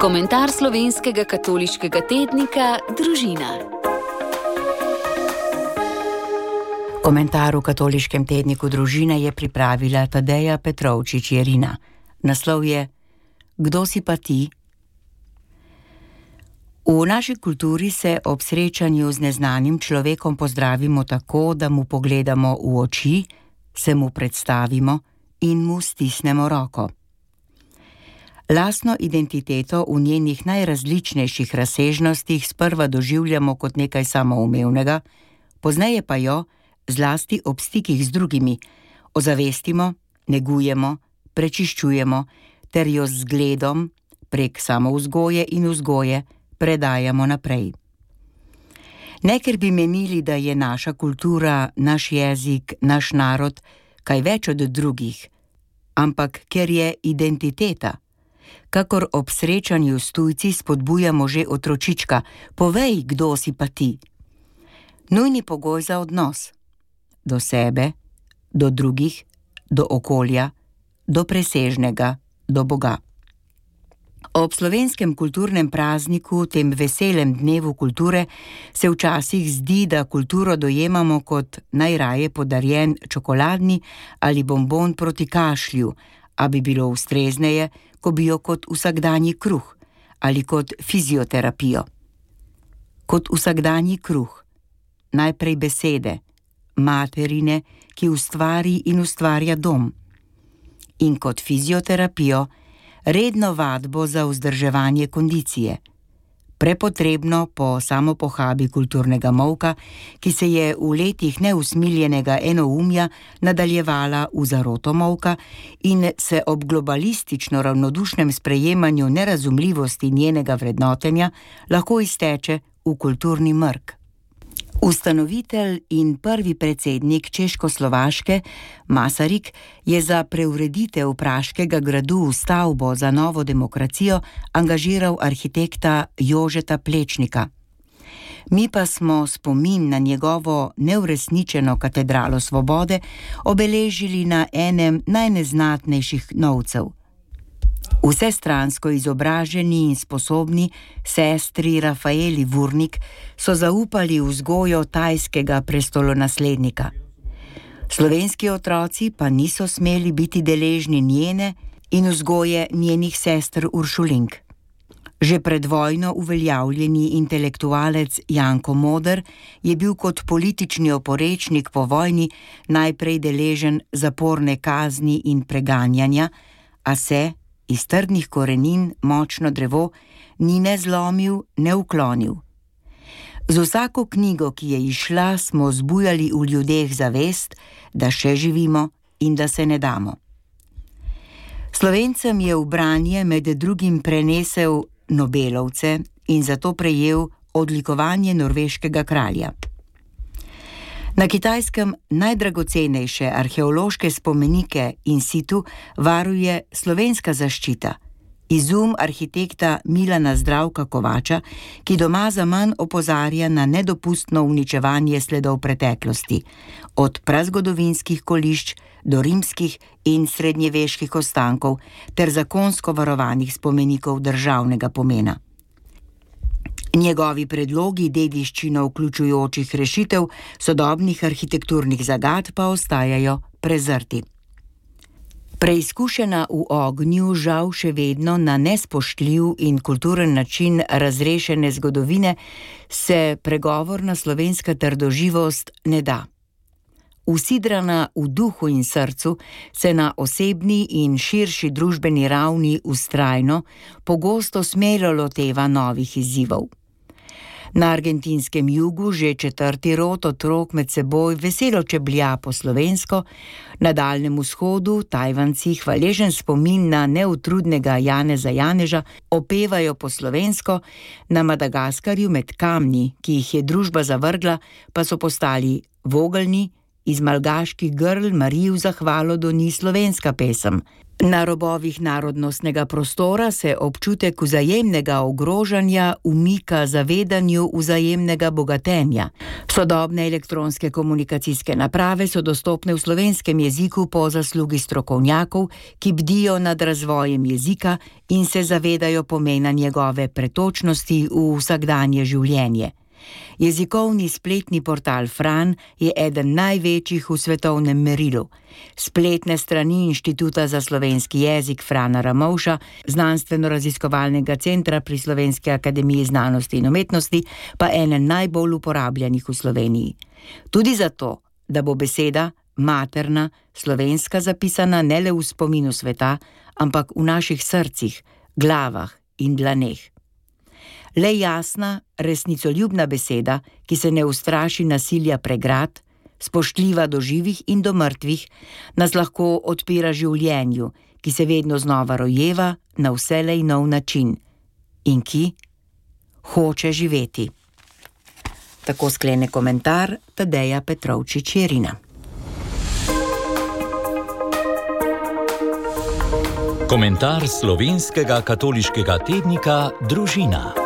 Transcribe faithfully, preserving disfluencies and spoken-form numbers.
Komentar slovenskega katoliškega tednika Družina. Komentar v katoliškem tedniku Družina je pripravila Tadeja Petrovčič Jerina. Naslov je Kdo si pa ti? V naši kulturi se ob srečanju z neznanim človekom pozdravimo tako, da mu pogledamo v oči, se mu predstavimo in mu stisnemo roko. Lastno identiteto v njenih najrazličnejših razsežnostih sprva doživljamo kot nekaj samoumevnega, pozneje pa jo, zlasti ob stikih z drugimi, ozavestimo, negujemo, prečiščujemo ter jo z zgledom prek samovzgoje in vzgoje predajamo naprej. Ne ker bi menili, da je naša kultura, naš jezik, naš narod kaj več od drugih, ampak ker je identiteta. Kakor ob srečanju s tujci spodbujamo že otročička, povej, kdo si pa ti. Nujni pogoj za odnos. Do sebe, do drugih, do okolja, do presežnega, do Boga. Ob slovenskem kulturnem prazniku, tem veselem dnevu kulture, se včasih zdi, da kulturo dojemamo kot najraje podarjen čokoladni ali bonbon proti kašlju, a bi bilo ustrezneje, ko bi jo kot vsakdanji kruh ali kot fizioterapijo. Kot vsakdanji kruh, najprej besede, materine, ki ustvari in ustvarja dom. In kot fizioterapijo, redno vadbo za vzdrževanje kondicije, prepotrebno po samopohabi kulturnega molka, ki se je v letih neusmiljenega enoumja nadaljevala v zaroto molka in se ob globalistično ravnodušnem sprejemanju nerazumljivosti njenega vrednotenja lahko izteče v kulturni mrk. Ustanovitelj in prvi predsednik Češkoslovaške, Masaryk, je za preureditev Praškega gradu v stavbo za novo demokracijo angažiral arhitekta Jožeta Plečnika. Mi pa smo spomin na njegovo neuresničeno katedralo svobode obeležili na enem najneznatnejših novcev. Vsestransko izobraženi in sposobni sestri Rafaeli Vurnik so zaupali vzgojo tajskega prestolonaslednika. Slovenski otroci pa niso smeli biti deležni njene in vzgoje njenih sester Uršulink. Že pred vojno uveljavljeni intelektualec Janko Moder je bil kot politični oporečnik po vojni najprej deležen zaporne kazni in preganjanja, a se iz trdnih korenin močno drevo ni ne zlomil, ne uklonil. Z vsako knjigo, ki je izšla, smo zbujali v ljudeh zavest, da še živimo in da se ne damo. Slovencem je v branje med drugim prenesel Nobelovce in zato prejel odlikovanje norveškega kralja. Na Kitajskem najdragocenejše arheološke spomenike in situ varuje slovenska zaščita, izum arhitekta Milana Zdravka Kovača, ki doma zaman opozarja na nedopustno uničevanje sledov preteklosti, od prazgodovinskih kolišč do rimskih in srednjeveških ostankov ter zakonsko varovanih spomenikov državnega pomena. Njegovi predlogi dediščino vključujočih rešitev sodobnih arhitekturnih zagad pa ostajajo prezrti. Preizkušena v ognju, žal še vedno na nespoštljiv in kulturen način razrešene zgodovine, se pregovorna slovenska trdoživost ne da. Usidrana v duhu in srcu se na osebni in širši družbeni ravni vztrajno, pogosto smelo loteva novih izzivov. Na argentinskem jugu že četrti rod otrok med seboj veselo čeblja po slovensko, na Daljnem vzhodu Tajvanci hvaležen spomin na neutrudnega Janeza Janeža opevajo po slovensko, na Madagaskarju med kamni, ki jih je družba zavrgla, pa so postali vogelni iz malgaških grl Mariji v zahvalo doni slovenska pesem. Na robovih narodnostnega prostora se občutek vzajemnega ogrožanja umika zavedanju vzajemnega bogatenja. Sodobne elektronske komunikacijske naprave so dostopne v slovenskem jeziku po zaslugi strokovnjakov, ki bdijo nad razvojem jezika in se zavedajo pomena njegove pretočnosti v vsakdanje življenje. Jezikovni spletni portal Fran je eden največjih v svetovnem merilu. Spletne strani Inštituta za slovenski jezik Frana Ramovša, znanstveno-raziskovalnega centra pri Slovenski akademiji znanosti in umetnosti, pa ene najbolj uporabljanih v Sloveniji. Tudi zato, da bo beseda materna, slovenska zapisana ne le v spominu sveta, ampak v naših srcih, glavah in dlaneh. Le jasna, resnicoljubna beseda, ki se ne ustraši nasilja pregrad, spoštljiva do živih in do mrtvih, nas lahko odpira življenju, ki se vedno znova rojeva na vselej nov način in ki hoče živeti. Tako sklene komentar Tadeja Petrovčič-Jerina. Komentar slovenskega katoliškega tednika Družina.